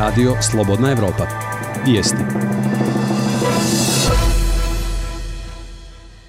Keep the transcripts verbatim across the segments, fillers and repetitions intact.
Radio Slobodna Evropa. Vijesti.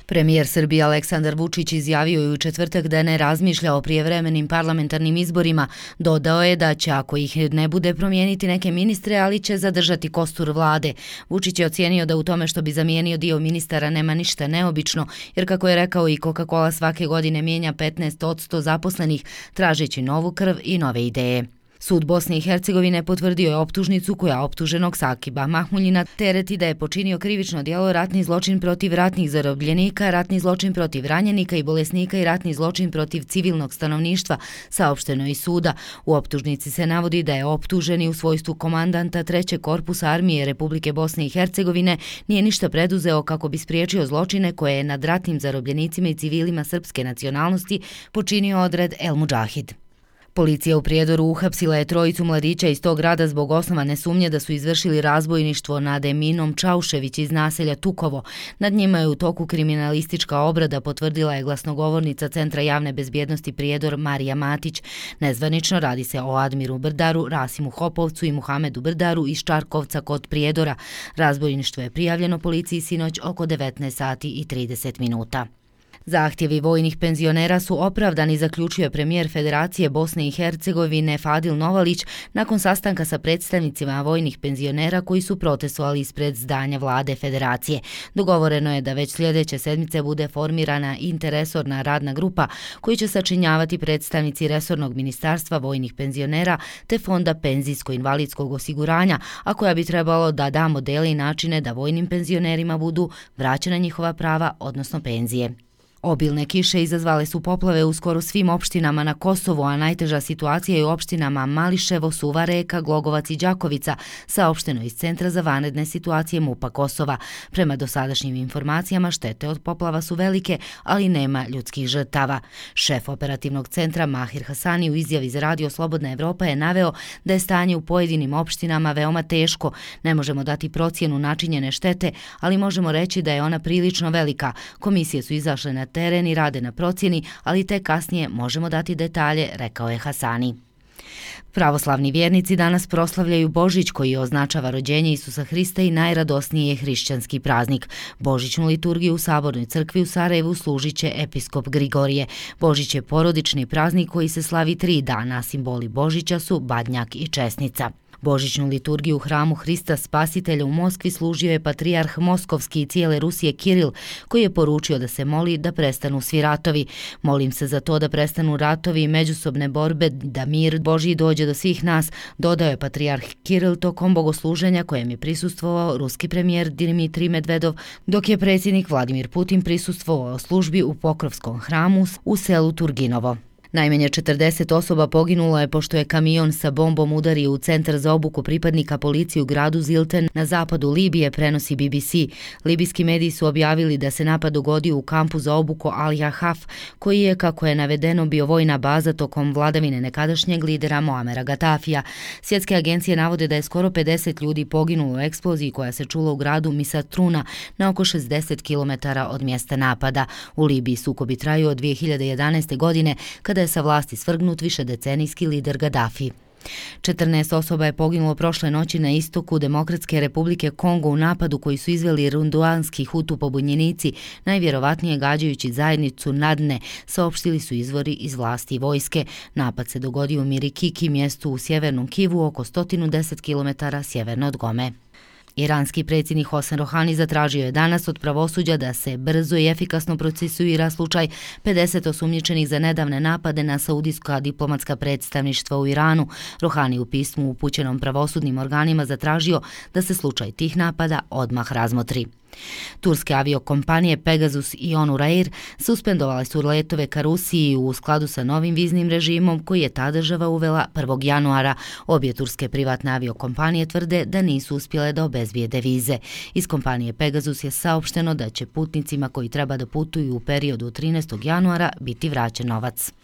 Premijer Srbije Aleksandar Vučić izjavio je u četvrtak da ne razmišlja o prijevremenim parlamentarnim izborima. Dodao je da će, ako ih ne bude, promijeniti neke ministre, ali će zadržati kostur vlade. Vučić je ocijenio da u tome što bi zamijenio dio ministara nema ništa neobično, jer kako je rekao i Coca-Cola svake godine mijenja petnaest posto zaposlenih, tražeći novu krv i nove ideje. Sud Bosne i Hercegovine potvrdio je optužnicu koja optuženog Sakiba Mahmuljina tereti da je počinio krivično djelo ratni zločin protiv ratnih zarobljenika, ratni zločin protiv ranjenika i bolesnika i ratni zločin protiv civilnog stanovništva, saopšteno iz suda. U optužnici se navodi da je optuženi u svojstvu komandanta trećeg korpusa armije Republike Bosne i Hercegovine nije ništa preduzeo kako bi spriječio zločine koje je nad ratnim zarobljenicima i civilima srpske nacionalnosti počinio odred El Mudžahid. Policija u Prijedoru uhapsila je trojicu mladića iz tog grada zbog osnovane sumnje da su izvršili razbojništvo nad Eminom Čaušević iz naselja Tukovo. Nad njima je u toku kriminalistička obrada, potvrdila je glasnogovornica Centra javne bezbjednosti Prijedor Marija Matić. Nezvanično radi se o Admiru Brdaru, Rasimu Hopovcu i Muhamedu Brdaru iz Čarkovca kod Prijedora. Razbojništvo je prijavljeno policiji sinoć oko devetnaest sati i trideset minuta. Zahtjevi vojnih penzionera su opravdani, zaključio premijer Federacije Bosne i Hercegovine Fadil Novalić nakon sastanka sa predstavnicima vojnih penzionera koji su protestovali ispred zdanja vlade Federacije. Dogovoreno je da već sljedeće sedmice bude formirana interresorna radna grupa koju će sačinjavati predstavnici resornog ministarstva vojnih penzionera te Fonda penzijsko-invalidskog osiguranja, a koja bi trebalo da da modele i načine da vojnim penzionerima budu vraćena njihova prava, odnosno penzije. Obilne kiše izazvale su poplave u skoro svim opštinama na Kosovu, a najteža situacija je u opštinama Mališevo, Suva Reka, Glogovac i Đakovica, saopšteno iz Centra za vanredne situacije MUP-a Kosova. Prema dosadašnjim informacijama, štete od poplava su velike, ali nema ljudskih žrtava. Šef operativnog centra Mahir Hasani u izjavi za Radio Slobodna Evropa je naveo da je stanje u pojedinim opštinama veoma teško. Ne možemo dati procjenu načinjene štete, ali možemo reći da je ona prilično velika. Komisije su izašle na teren i rade na procjeni, ali te kasnije možemo dati detalje, rekao je Hasani. Pravoslavni vjernici danas proslavljaju Božić koji označava rođenje Isusa Hrista i najradosniji je hrišćanski praznik. Božićnu liturgiju u Sabornoj crkvi u Sarajevu služit će episkop Grigorije. Božić je porodični praznik koji se slavi tri dana, simboli Božića su Badnjak i Česnica. Božićnu liturgiju u hramu Hrista Spasitelja u Moskvi služio je patrijarh Moskovski i cijele Rusije Kiril, koji je poručio da se moli da prestanu svi ratovi. Molim se za to da prestanu ratovi i međusobne borbe, da mir Božji dođe do svih nas, dodao je patrijarh Kiril tokom bogosluženja kojem je prisustvovao ruski premijer Dimitrij Medvedov, dok je predsjednik Vladimir Putin prisustvovao službi u Pokrovskom hramu u selu Turginovo. Najmanje četrdeset osoba poginulo je pošto je kamion sa bombom udario u centar za obuku pripadnika policije u gradu Zilten na zapadu Libije, prenosi B B C. Libijski mediji su objavili da se napad dogodio u kampu za obuku Al-Jahaf, koji je, kako je navedeno, bio vojna baza tokom vladavine nekadašnjeg lidera Moamera Gatafija. Svjetske agencije navode da je skoro pedeset ljudi poginulo u eksploziji koja se čula u gradu Misatruna na oko šezdeset kilometara od mjesta napada. U Libiji sukobi traju od dvije hiljade jedanaeste. godine, kada je sa vlasti svrgnut višedecenijski lider Gaddafi. četrnaest osoba je poginulo prošle noći na istoku Demokratske republike Kongo u napadu koji su izveli runduanski hutu pobunjenici, najvjerovatnije gađajući zajednicu Nadne, saopštili su izvori iz vlasti i vojske. Napad se dogodio u Mirikiki, mjestu u sjevernom Kivu, oko sto deset kilometara sjeverno od Gome. Iranski predsjednik Hasan Rohani zatražio je danas od pravosuđa da se brzo i efikasno procesuira slučaj pedeset osumnjičenih za nedavne napade na saudijska diplomatska predstavništva u Iranu. Rohani u pismu upućenom pravosudnim organima zatražio da se slučaj tih napada odmah razmotri. Turske aviokompanije Pegasus i Onur Air suspendovale su letove ka Rusiji u skladu sa novim viznim režimom koji je ta država uvela prvog januara. Obje turske privatne aviokompanije tvrde da nisu uspjele da obezbijede vize. Iz kompanije Pegasus je saopšteno da će putnicima koji treba da putuju u periodu trinaestog januara biti vraćen novac.